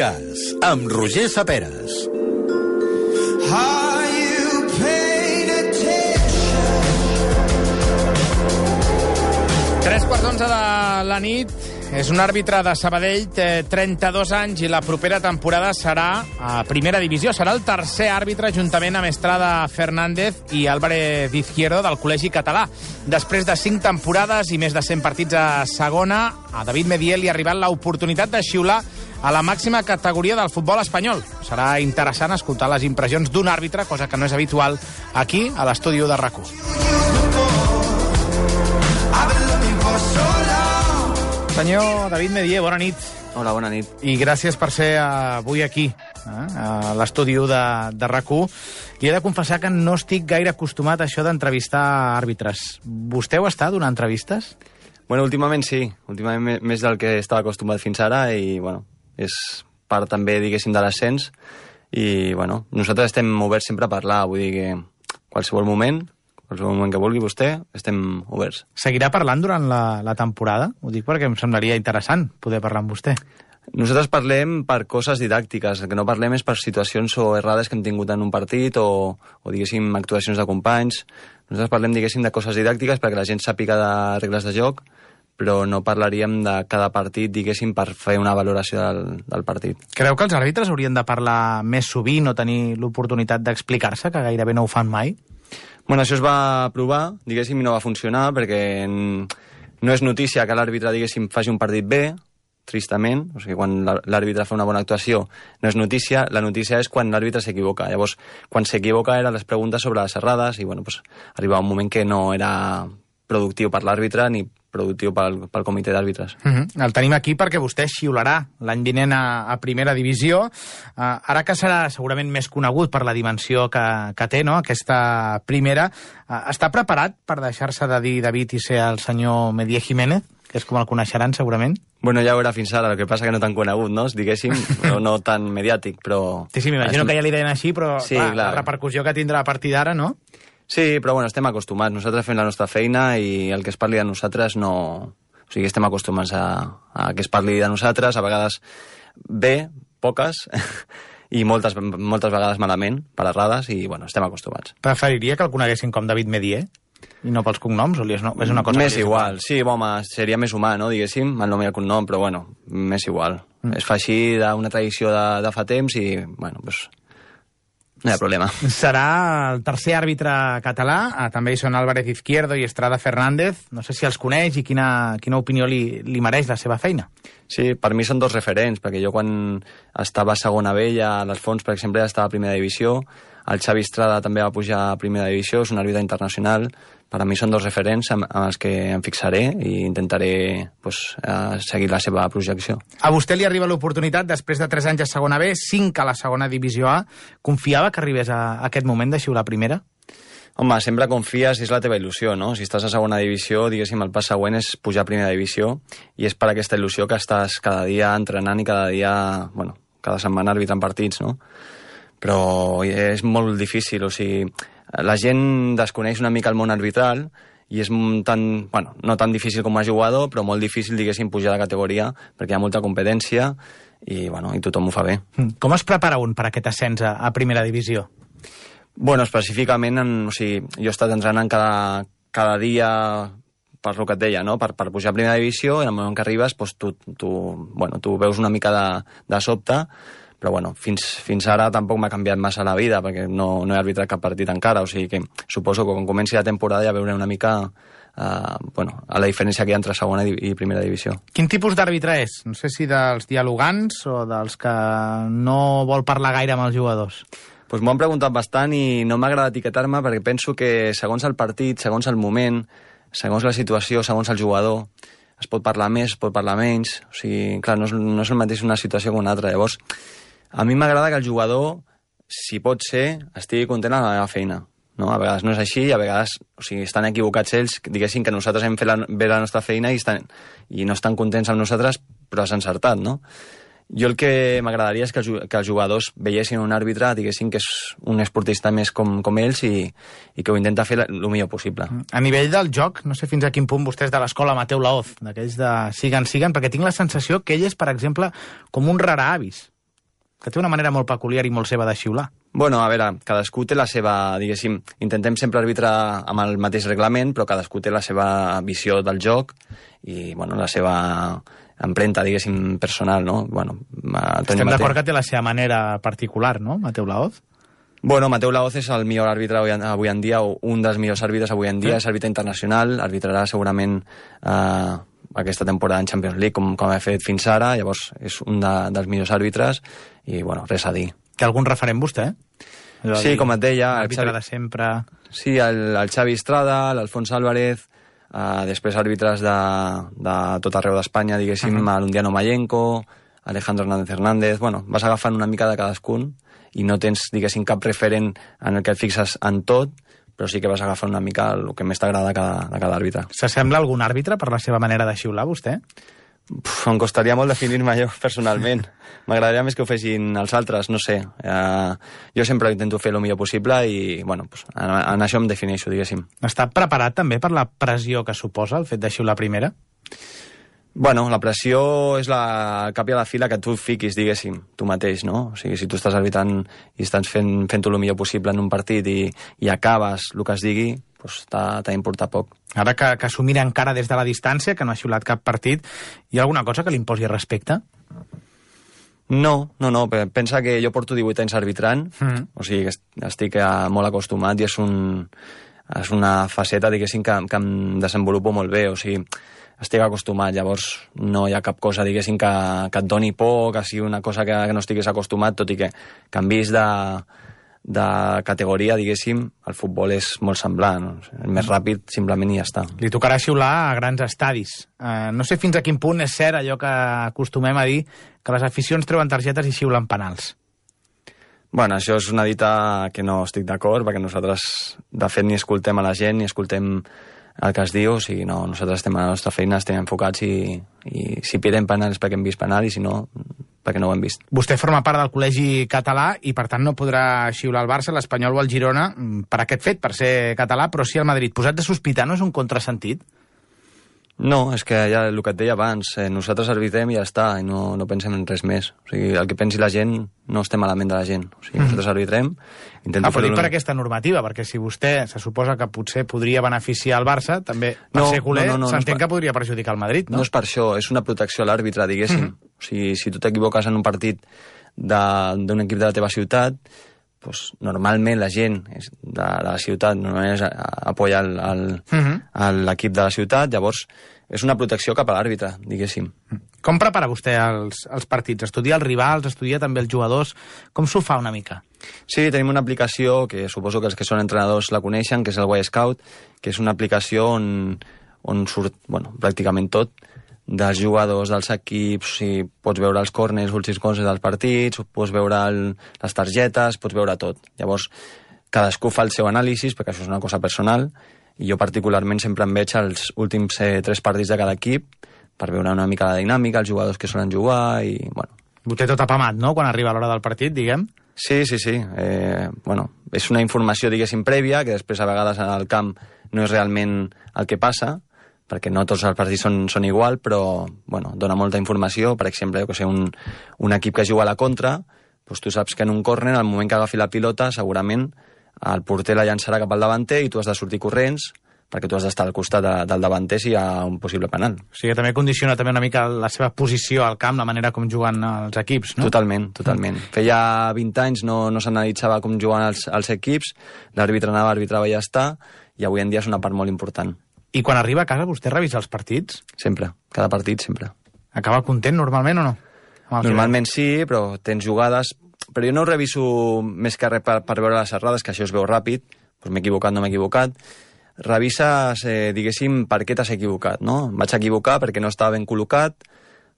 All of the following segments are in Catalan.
Espigas, amb Roger Saperes. Tres quarts d'11 de la nit. És un àrbitre de Sabadell, té 32 anys i la propera temporada serà a primera divisió. Serà el tercer àrbitre juntament amb Estrada Fernández i Álvarez Izquierdo del Col·legi Català. Després de 5 temporades i més de 100 partits a segona, a David Medié li ha arribat l'oportunitat de xiular a la màxima categoria del futbol espanyol. Serà interessant escoltar les impressions d'un àrbitre, cosa que no és habitual aquí, a l'estudi de RAC1. Senyor David Medié, bona nit. Hola, bona nit. I gràcies per ser avui aquí, a l'estudi de RAC1. I he de confessar que no estic gaire acostumat a això d'entrevistar àrbitres. Vostè ho està donant entrevistes? Bueno, últimament sí. Últimament més del que estava acostumat fins ara i, bueno, és part també, diguéssim, de l'ascens. I, bueno, nosaltres estem oberts sempre a parlar. Vull dir que qualsevol moment que vulgui vostè, estem oberts. Seguirà parlant durant la temporada? Ho dic perquè em semblaria interessant poder parlar amb vostè. Nosaltres parlem per coses didàctiques, el que no parlem és per situacions o errades que hem tingut en un partit o diguéssim, actuacions de companys. Nosaltres parlem, diguéssim, de coses didàctiques perquè la gent sàpiga de regles de joc, però no parlaríem de cada partit, diguéssim, per fer una valoració del partit. Creu que els àrbitres haurien de parlar més sovint o tenir l'oportunitat d'explicar-se, que gairebé no ho fan mai? Bueno, això es va provar, diguéssim, i no va funcionar, perquè no és notícia que l'àrbitre, diguéssim, faci un partit bé, tristament. O sigui, quan l'àrbitre fa una bona actuació no és notícia, la notícia és quan l'àrbitre s'equivoca. Llavors, quan s'equivoca eren les preguntes sobre les errades i, bueno, pues, arribava un moment que no era productiu per l'àrbitre ni productiu pel comitè d'àrbitres. El tenim aquí perquè vostè xiularà l'any vinent a primera divisió. Ara que serà segurament més conegut per la dimensió que té, no?, aquesta primera, està preparat per deixar-se de dir David i ser el senyor Medié Jiménez, que és com el coneixeran segurament? Bueno, ja ho era fins ara, el que passa que no tan conegut, no?, diguéssim, no tan mediàtic, però... Sí, m'imagino que ja li deien així, però sí, clar, la repercussió que tindrà a partir d'ara, no? Sí, però bueno, estem acostumats. Nosaltres fem la nostra feina i el que es parli de nosaltres no... O sigui, estem acostumats a que es parli de nosaltres, a vegades bé, poques, i moltes vegades malament, per errades, i bueno, estem acostumats. Preferiria que el coneguessin com David Medié? I no pels cognoms? O és una cosa més igual, sí, home, seria més humà, no?, diguéssim, el nom i el cognom, però bueno, més igual. Es fa així d'una tradició de fa temps i, bueno, doncs... No hi ha problema. Serà el tercer àrbitre català, també hi són Álvarez Izquierdo i Estrada Fernández. No sé si els coneix i quina opinió li mereix la seva feina. Sí, per mi són dos referents, perquè jo quan estava a segona B, ja a les Fonts, per exemple, ja estava a primera divisió, el Xavi Estrada també va pujar a primera divisió, és un àrbitre internacional. Per a mi són dos referents amb els que em fixaré i intentaré seguir la seva projecció. A vostè li arriba l'oportunitat, després de 3 anys a segona B, 5 a la segona divisió A. Confiava que arribés a aquest moment de xiular primera? Home, sempre confies si és la teva il·lusió, no? Si estàs a segona divisió, diguéssim, el pas següent és pujar a primera divisió i és per aquesta il·lusió que estàs cada dia entrenant i cada dia, bueno, cada setmana arbitrant partits, no? Però és molt difícil, o sigui, la gent desconeix una mica el món arbitral i és tan, bueno, no tan difícil com a jugador, però molt difícil, diguéssim, pujar de categoria perquè hi ha molta competència i, bueno, i tothom ho fa bé. Com es prepara un per aquest ascens a primera divisió? Bueno, específicament, o sigui, jo he estat entrenant cada dia per el que et deia, no?, per pujar a primera divisió, i en el moment que arribes, doncs, tu veus una mica de sobte, però bueno, fins ara tampoc m'ha canviat massa la vida, perquè no he arbitrat cap partit encara, o sigui que suposo que quan comenci la temporada ja veuré una mica a la diferència que hi ha entre segona i primera divisió. Quin tipus d'àrbitre és? No sé si dels dialogants o dels que no vol parlar gaire amb els jugadors. Doncs m'ho han preguntat bastant i no m'agrada etiquetar-me perquè penso que segons el partit, segons el moment, segons la situació, segons el jugador, es pot parlar més, es pot parlar menys, o sigui, clar, no és el mateix una situació que una altra, llavors a mi m'agrada que el jugador, si pot ser, estigui content amb la meva feina. No? A vegades no és així i a vegades, o sigui, estan equivocats ells, diguéssim que nosaltres hem fet bé la nostra feina i no estan contents amb nosaltres, però has encertat, no? Jo el que m'agradaria és que els jugadors veiessin un àrbitre, diguessin que és un esportista més com ells i que ho intenta fer el millor possible. A nivell del joc, no sé fins a quin punt vostès de l'escola Mateu Laoz, d'aquells de siguen, perquè tinc la sensació que ell és, per exemple, com un rara avis. que té una manera molt peculiar i molt seva de xiular. Bueno, a veure, cadascú té la seva, diguéssim, intentem sempre arbitrar amb el mateix reglament, però cadascú té la seva visió del joc i, bueno, la seva empremta, diguéssim, personal, no? Bueno, estem d'acord que té la seva manera particular, no, Mateu Laoz? Bueno, Mateu Laoz és el millor àrbitre avui en dia, o un dels millors àrbitres avui en dia, és àrbitre internacional, arbitrarà segurament aquesta temporada en Champions League, com ha fet fins ara, llavors és un dels millors àrbitres, i, bueno, res a dir. Té algun referent vostè? Sí, com et deia... L'àrbitre de sempre... Sí, el Xavi Estrada, l'Alfons Álvarez, després àrbitres de tot arreu d'Espanya, diguéssim, l'Undiano Mayenco, Alejandro Hernández... Bueno, vas agafant una mica de cadascun i no tens, diguéssim, cap referent en el que et fixes en tot, però sí que vas agafant una mica el que més t'agrada de cada àrbitre. S'assembla algun àrbitre per la seva manera de xiular, vostè? Em costaria molt definir-me jo, personalment. M'agradaria més que ho fessin els altres, no sé. Jo sempre intento fer el millor possible i, bueno, pues, en això em defineixo, diguéssim. Està preparat també per la pressió que suposa el fet de xiular primera? Bueno, la pressió és el cap i a la fila que tu fiquis, diguéssim, tu mateix, no? O sigui, si tu estàs arbitrant i estàs fent-ho el millor possible en un partit i acabes el que es digui, doncs t'ha d'importar poc. Ara que s'ho mira encara des de la distància, que no ha xiulat cap partit, hi ha alguna cosa que li imposi respecte? No, pensa que jo porto 18 anys arbitrant, o sigui que estic molt acostumat i és una faceta, diguéssim, que em desenvolupo molt bé, o sigui, estic acostumat, llavors no hi ha cap cosa, diguéssim, que et doni por, que sigui una cosa que no estiguis acostumat, tot i que canvis de categoria, diguéssim, el futbol és molt semblant, el més ràpid simplement i ja està. Li tocarà xiular a grans estadis. No sé fins a quin punt és cert allò que acostumem a dir, que les aficions treuen targetes i xiulen penals. Bueno, això és una dita que no estic d'acord, perquè nosaltres, de fet, ni escoltem a la gent, ni escoltem el que es diu, o sigui, no, nosaltres estem a la nostra feina, estem enfocats i si pitem penal és perquè hem vist penal i si no, perquè no ho hem vist. Vostè forma part del col·legi català i per tant no podrà xiular el Barça, l'Espanyol o el Girona per aquest fet, per ser català, però sí el Madrid. Posat de sospitar no és un contrasentit? No, és que ja el que et deia abans, nosaltres arbitrem i ja està, i no pensem en res més. O sigui, el que pensi la gent no estem a la ment de la gent. O sigui, nosaltres arbitrem... Però dic per aquesta normativa, perquè si vostè se suposa que potser podria beneficiar el Barça, també per ser culer s'entén que podria perjudicar el Madrid, no? No és per això, és una protecció a l'àrbitre, diguéssim. O sigui, si tu t'equivoques en un partit d'un equip de la teva ciutat, doncs normalment la gent de la ciutat normalment apoya l'equip de la ciutat, llavors és una protecció cap a l'àrbitre, diguéssim. Com prepara vostè els partits? Estudia els rivals, estudia també els jugadors? Com s'ho fa una mica? Sí, tenim una aplicació que suposo que els que són entrenadors la coneixen, que és el Y-Scout, que és una aplicació on surt pràcticament tot, dels jugadors, dels equips, si pots veure els corners, els últims coses dels partits, pots veure les targetes, pots veure tot. Llavors, cadascú fa el seu anàlisi, perquè això és una cosa personal, i jo particularment sempre em veig els últims 3 partits de cada equip per veure una mica la dinàmica, els jugadors que solen jugar i, bueno... Ho té tot apamat, no?, quan arriba l'hora del partit, diguem? Sí. És una informació, diguéssim, prèvia, que després a vegades al camp no és realment el que passa, perquè no tots els partits són igual, però dona molta informació. Per exemple, que un equip que juga a la contra, doncs tu saps que en un córner, al moment que agafi la pilota, segurament el porter la llançarà cap al davanter i tu has de sortir corrents, perquè tu has d'estar al costat del davanter si hi ha un possible penal. O sigui que també condiciona també una mica la seva posició al camp, la manera com juguen els equips, no? Totalment. Feia 20 anys no s'analitzava com juguen els equips, l'àrbitre arbitrava i ja està, i avui en dia és una part molt important. I quan arriba a casa vostè revisa els partits? Sempre, cada partit sempre. Acaba content normalment o no? Normalment sí, però tens jugades... Però jo no ho reviso més que res per veure les errades, que això es veu ràpid, doncs m'he equivocat, no m'he equivocat. Revises, diguéssim, per què t'has equivocat, no? Em vaig equivocar perquè no estava ben col·locat,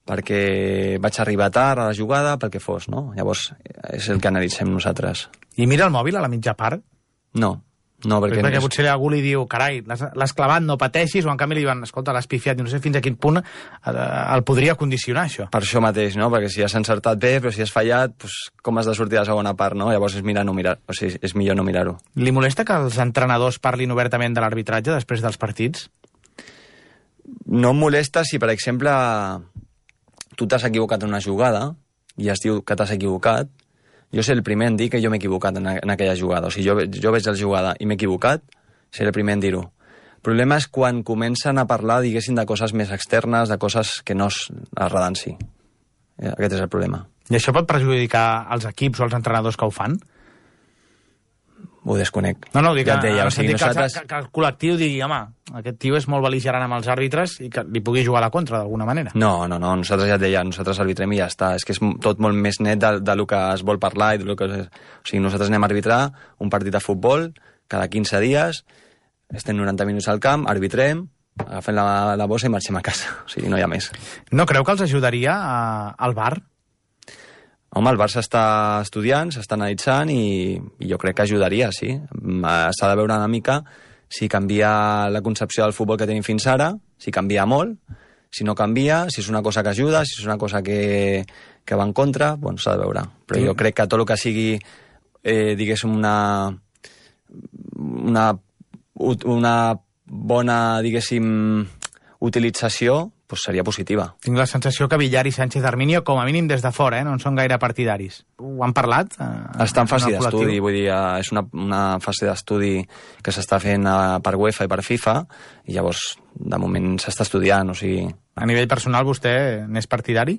perquè vaig arribar tard a la jugada, pel que fos, no? Llavors és el que analitzem nosaltres. I mira el mòbil a la mitja part? No, perquè potser algú li diu, carai, l'has clavat, no pateixis, o en canvi li diuen, escolta, l'has pifiat, i no sé fins a quin punt el podria condicionar, això. Per això mateix, no? Perquè si has encertat bé, però si has fallat, doncs com has de sortir a la segona part, no? Llavors és millor no mirar-ho. Li molesta que els entrenadors parlin obertament de l'arbitratge després dels partits? No em molesta si, per exemple, tu t'has equivocat en una jugada i es diu que t'has equivocat, jo seré el primer en dir que jo m'he equivocat en aquella jugada. O sigui, jo veig la jugada i m'he equivocat, seré el primer en dir-ho. El problema és quan comencen a parlar, diguéssim, de coses més externes, de coses que no es redanci. Aquest és el problema. I això pot perjudicar els equips o els entrenadors que ho fan? Ho desconec. No, dic ja et deia, que el col·lectiu digui, home, aquest tio és molt bel·ligerant amb els àrbitres i que li pugui jugar a la contra d'alguna manera. No, nosaltres ja et deia, nosaltres arbitrem i ja està. És que és tot molt més net del que es vol parlar i del que... O sigui, nosaltres anem a arbitrar un partit de futbol cada 15 dies, estem 90 minuts al camp, arbitrem, agafem la bossa i marxem a casa. O sigui, no hi ha més. No creu que els ajudaria al VAR? Home, el VAR s'està estudiant, s'està analitzant i jo crec que ajudaria, sí. S'ha de veure una mica si canvia la concepció del futbol que tenim fins ara, si canvia molt, si no canvia, si és una cosa que ajuda, si és una cosa que va en contra, doncs s'ha de veure. Però jo crec que tot el que sigui, diguéssim, una bona, diguéssim, utilització, doncs seria positiva. Tinc la sensació que Villar i Sánchez Arminio, com a mínim des de fora, no en són gaire partidaris. Ho han parlat? Està en fase d'estudi, vull dir, és una fase d'estudi que s'està fent per UEFA i per FIFA, i llavors, de moment, s'està estudiant, o sigui... A nivell personal, vostè n'és partidari?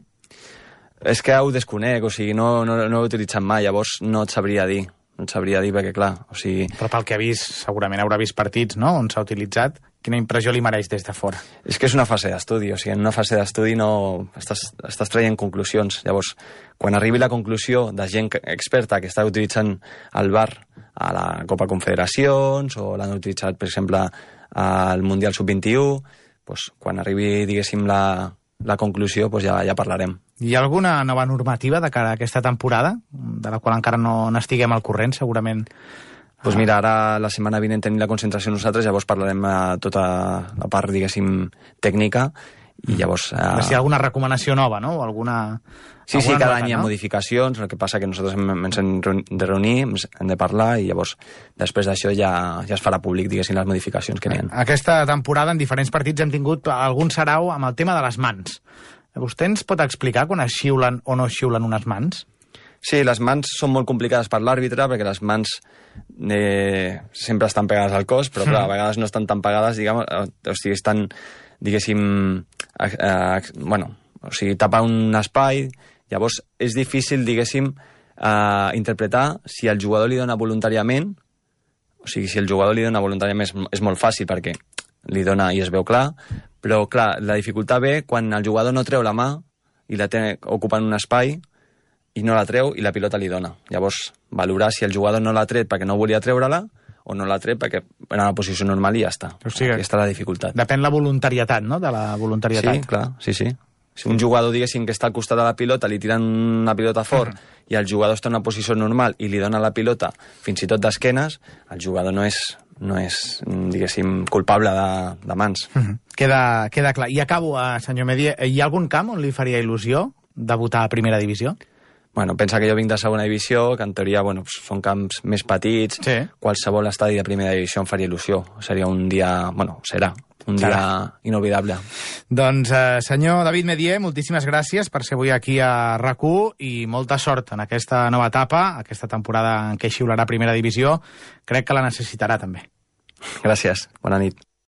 És que ho desconec, o sigui, no ho he utilitzat mai, llavors no et sabria dir. No et sabria dir perquè, clar, o sigui... Però pel que ha vist, segurament haurà vist partits, no?, on s'ha utilitzat. Quina impressió li mereix des de fora? És que és una fase d'estudi, o sigui, en una fase d'estudi no... Estàs traient conclusions. Llavors, quan arribi la conclusió de gent experta que està utilitzant el VAR a la Copa Confederacions o l'han utilitzat, per exemple, al Mundial Sub-21, doncs, quan arribi, diguéssim, la conclusió, doncs ja parlarem. Hi ha alguna nova normativa de cara a aquesta temporada, de la qual encara no n'estiguem al corrent, segurament? Doncs mira, ara la setmana vinent tenim la concentració nosaltres, llavors parlarem tota la part, diguéssim, tècnica, i llavors... Si hi ha alguna recomanació nova, no? O alguna... Sí, cada any hi ha modificacions, el que passa que nosaltres ens hem de reunir, hem de parlar, i llavors després d'això ja es farà públic, diguéssim, les modificacions que n'hi ha. Aquesta temporada, en diferents partits, hem tingut algun sarau amb el tema de les mans. Vostè ens pot explicar quan es xiulen o no es xiulen unes mans? Sí, les mans són molt complicades per l'àrbitre, perquè les mans sempre estan pegades al cos, però clar, a vegades no estan tan pegades, diguem, o sigui, estan, diguéssim, o sigui, tapar un espai, llavors és difícil, diguéssim, interpretar si el jugador li dona voluntàriament, o sigui, si el jugador li dona voluntàriament és molt fàcil, perquè li dona i es veu clar, però clar, la dificultat ve quan el jugador no treu la mà i la té ocupant un espai i no la treu i la pilota li dona. Llavors, valorar si el jugador no l'ha tret perquè no volia treure-la o no l'ha tret perquè era una posició normal i ja està. O sigui, aquesta és la dificultat. Depèn la voluntarietat, no?, de la voluntarietat. Sí, clar, sí. Si un jugador, diguéssim, que està al costat de la pilota, li tiren una pilota fort i el jugador està en una posició normal i li dona la pilota fins i tot d'esquenes, el jugador no és diguéssim, culpable de mans. Queda clar. I acabo, senyor Medier, hi ha algun camp on li faria il·lusió debutar a primera divisió? Bueno, pensa que jo vinc de segona divisió, que en teoria són camps més petits, sí. Qualsevol estadi de primera divisió em faria il·lusió. Seria un dia, serà un dia inolvidable. Doncs, senyor David Medier, moltíssimes gràcies per ser avui aquí a RAC1 i molta sort en aquesta nova etapa, aquesta temporada en què xiularà primera divisió. Crec que la necessitarà també. Gràcies, bona nit.